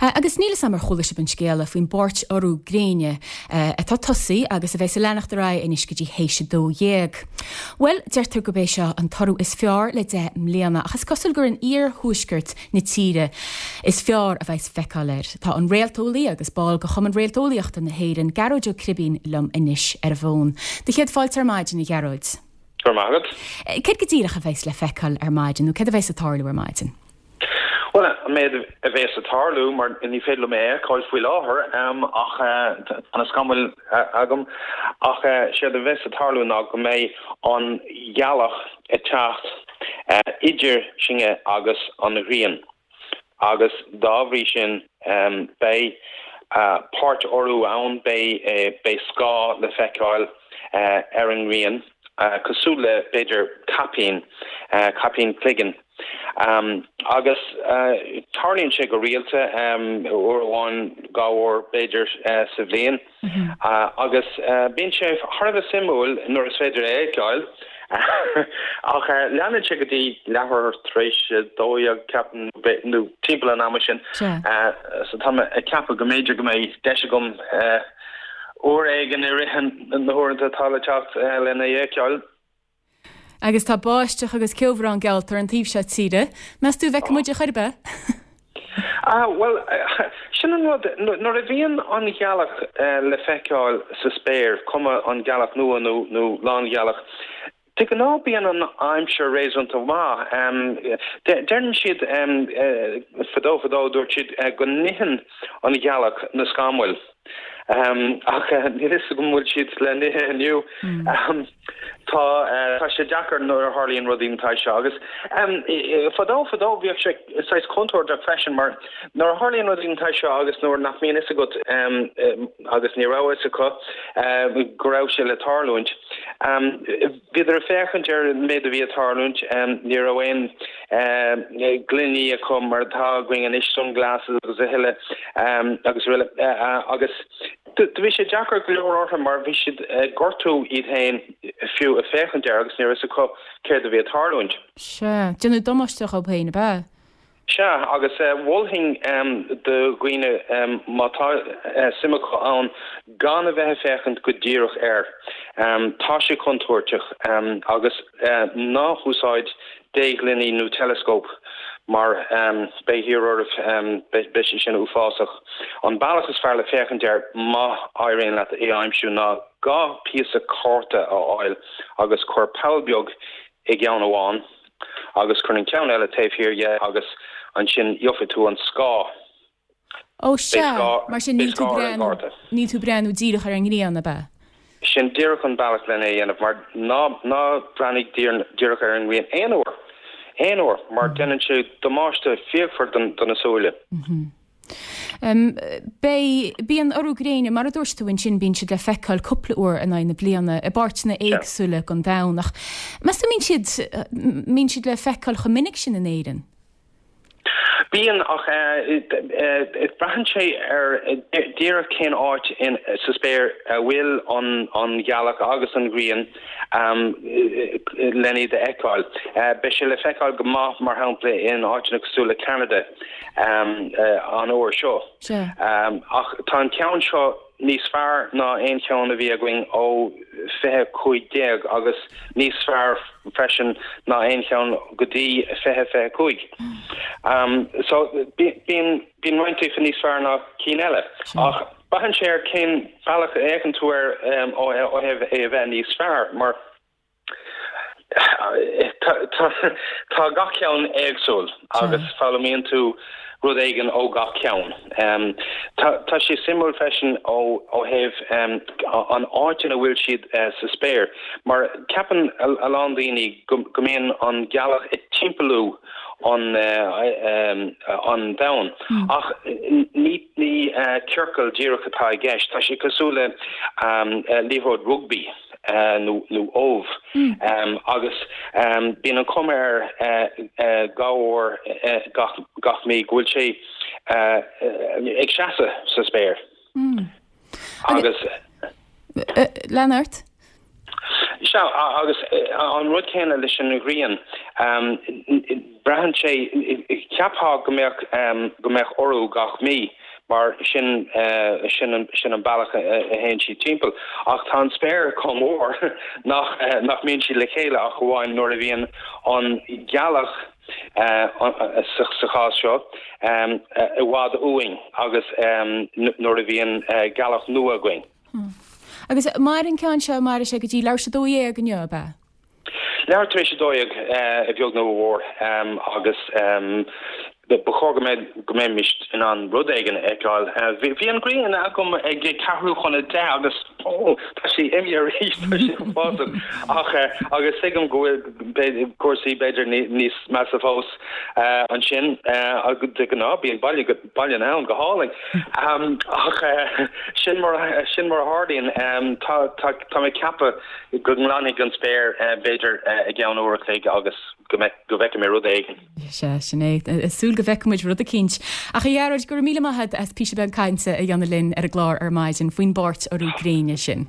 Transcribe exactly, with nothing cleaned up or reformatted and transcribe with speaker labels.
Speaker 1: Agus níl a fhios agam ar chuala sibh an scéala faoin bpáirt-urú gréine atá tosaithe agus a bheas ag leanacht ar aghaidh anois go dtí théis a dó dhéag. Bhuel, deirtear gurb é seo an t-urú is fearr le deich mbliana ach is cosúil gur in iarthuaisceart na tíre is fearr a bheas feiceáil air. Tá an réalteolaí agus ball de Chumann Réalteolaíochta na hÉireann, Gearóid Ó Cribín liom anois ar an bhfón. Do chéad fáilte ar maidin a Ghearóid.
Speaker 2: Go raibh maith agat.
Speaker 1: Céard go díreach a bheas le feiceáil ar maidin nó céard a bheas ag tarlú ar maidin?
Speaker 2: Well an méid a bheas ag tarlú mar ní féidir liom é a fheiceáil faoi láthair ach tá na scamaill agam ach séard a bheas ag tarlú ná go mbeidh an ghealach ag teacht idir sinne agus an ghrian agus dá bhrí sin beidh páirt-urú ann beidh beidh scáth le feiceáil ar an ngrian cosúil le b'fhéidir caipín caipín cloigeann. Um, agus uh, tarlaíonn sé go rialta um, uair amháin dhá uair b'fhéidir uh, sa bhliain mm -hmm. uh, agus uh, bíonn sé thar a bheith suimiúil nuair is féidir é a fheiceáil ach uh, leanann sé go dtí leathuair tar éis dó dhéag ceapaim nó timpeall an ama sin uh, so tá ag ceapadh go mb'fhéidir go mbeidh deis agam uh, uair éigin i rith na huaireanta atá le teacht uh, lena fheiceáil.
Speaker 1: Agus tá báisteach agus ceobhrán geallta an taobh seo tíre, Meas tú an bhfeicfidh muid ar bith?
Speaker 2: Ah well sin an rud nuair a bhíonn an ghealach uh, le feiceáil sa spéir cuma an ghealach nua nó nó lánghealach. De ghnáth bíonn an aimsir réasúnta maith um, deireann siad um, uh, fadó fadó dúirt siad uh, go n-itheann an ghealach na scamaill. Um, ach uh, níl a fhios agam an bhfuil siad le n-ithe inniu. Mm. Um, tá uh, tá sé deacair nuair a tharlaíonn rudaí mar seo agus um, fadó fadó bhíodh sé saghas contúirteach freisin mar nuair a tharlaíonn rudaí mar seo agus nuair nach mbíonn a fhios agat um, um, agus ní raibh a fhios acu uh, go raibh sé le tarlúint. Um, Bhíodar ag féachaint ar an méid a bhí ag tarlúint um, ní raibh aon uh, gloiní acu mar atá againn anois sunglasses agus a thuilleadh um, agus uile uh, uh, agus Do bhí sé deacair go leor orthu mar bhí siad gortú iad féin fiú ag féachaint air agus ní raibh a fhios acu céard a bhí ag tarlúint.
Speaker 1: Sea, déanamh damáiste dóibh féin ab ea?
Speaker 2: Sea agus mholfainn do dhaoine má tá suim acu ann gan a bheith ag féachaint go díreach air. Tá sé contúirteach agus ná húsáid déghloiní nó teileascóp mar beidh thiar oraibh beidh sé sin uafásach. An bealach is fearr le féachaint air má éiríonn leat é a aimsiú ná dhá phíosa cárta a fháil agus cuir poll beag i gceann amháin agus cuir an ceann eile taobh thiar dhe agus ansin gheobhaidh tú an scáth.
Speaker 1: Ó sea, mar sin níl tú níl tú ag breathnú díreach ar an ngrian ab ea?
Speaker 2: Sin díreach an bealach lena dhéanamh mar ná ná breathnaigh díreach ar an ngrian aon uair. Aon uair mar déanann sé damáiste fíochmhar do na súile.
Speaker 1: Um, Bé bíonn urú gréine mar a dúirt tú ansin bíonn siad le feiceáil cúpla uair in aghaidh na bliana i bpáirteanna éagsúla den domhan ach meas tú mbíonn siad mbíonn siad le feiceáil chomh minic sin in Éirinn.
Speaker 2: Bíonn ach braitheann sé ar díreach cén áit in sa spéir a bhfuil an an ghealach agus an ghrian um, lena iad a fheiceáil. Uh, Beidh sé le feiceáil go maith mar shampla in áiteanna cosúil le Canada um, uh, an uair seo. Um, ach tá an ceann seo níos fearr ná aon cheann a bhí againn ó fiche cúig déag agus níos fearr freisin ná aon cheann go dtí fiche fiche cúig. Um, so bíonn bíonn roinnt acu níos fearr ná cinn eile. Ach braitheann sé ar cén bealach a fhéachann tú air um, ó ó thaobh é a bheith níos fearr mar Tá gach ceann éagsúil agus foghlaimíonn tú rud éigin ó gach ceann. Um, tá sé suimiúil freisin ó ó thaobh um, an áit ina bhfuil siad uh, sa spéir, mar ceapann a lán daoine go mbíonn an ghealach ag timpeallú an uh, um, an domhan. Mm. Ach ní ní uh, ciorcal díreach atá i gceist, tá sé cosúil le um, uh, liathróid rugby. Uh, nó nó ubh mm. um, agus um, bíonn an chuma air uh, uh, dhá uair uh, gach, gach mí go bhfuil sé uh, uh, ag seasamh sa spéir.
Speaker 1: Mm.
Speaker 2: Agus
Speaker 1: Lean ort?
Speaker 2: Sea agus an rud céanna leis an ghrian Braitheann sé, cheapfá go mbeadh go mbeadh urú gach mí mar sin sin sin an bealach a théann siad timpeall ach tá an spéir chomh mór nach nach mbíonn siad le chéile ach amháin nuair a bhíonn an ghealach sa chás seo i bhfad uainn agus nuair a bhíonn gealach nua againn.
Speaker 1: Agus maireann an ceann seo, mairfidh sé go dtí leathuair tar éis a dó dhéag inniu, ab ea?
Speaker 2: Leathuair tar éis a dó dhéag, a bheag nó a mhór, agus ba chóir go mbeidh, go mbeimis in ann rud éigin a fheiceáil. Bhí an ghrian agam ag ceathrú chun a deich agus, ó, tá sí imithe arís, tá sé uafásach. Ach, agus tuigim go bhfuil cúrsaí b'fhéidir níos measa fós ansin, de ghnáth bíonn baile, Baile na hAbhann go hálainn. Ach sin mar, sin mar a tharlaíonn. Tá, tá, tá mé ag ceapadh go nglanfaidh an spéir b'fhéidir i gceann uair a chloig agus go mbeidh, go bhfeicfidh mé rud éigin.
Speaker 1: Sea, sin é. Ag súil go bhfeicfidh muid rud eicínt. Ach a Ghearóid, go raibh míle maith agat as píosa beag cainte a dhéanamh linn ar an gclár ar maidin faoin bpáirt-urú gréine sin.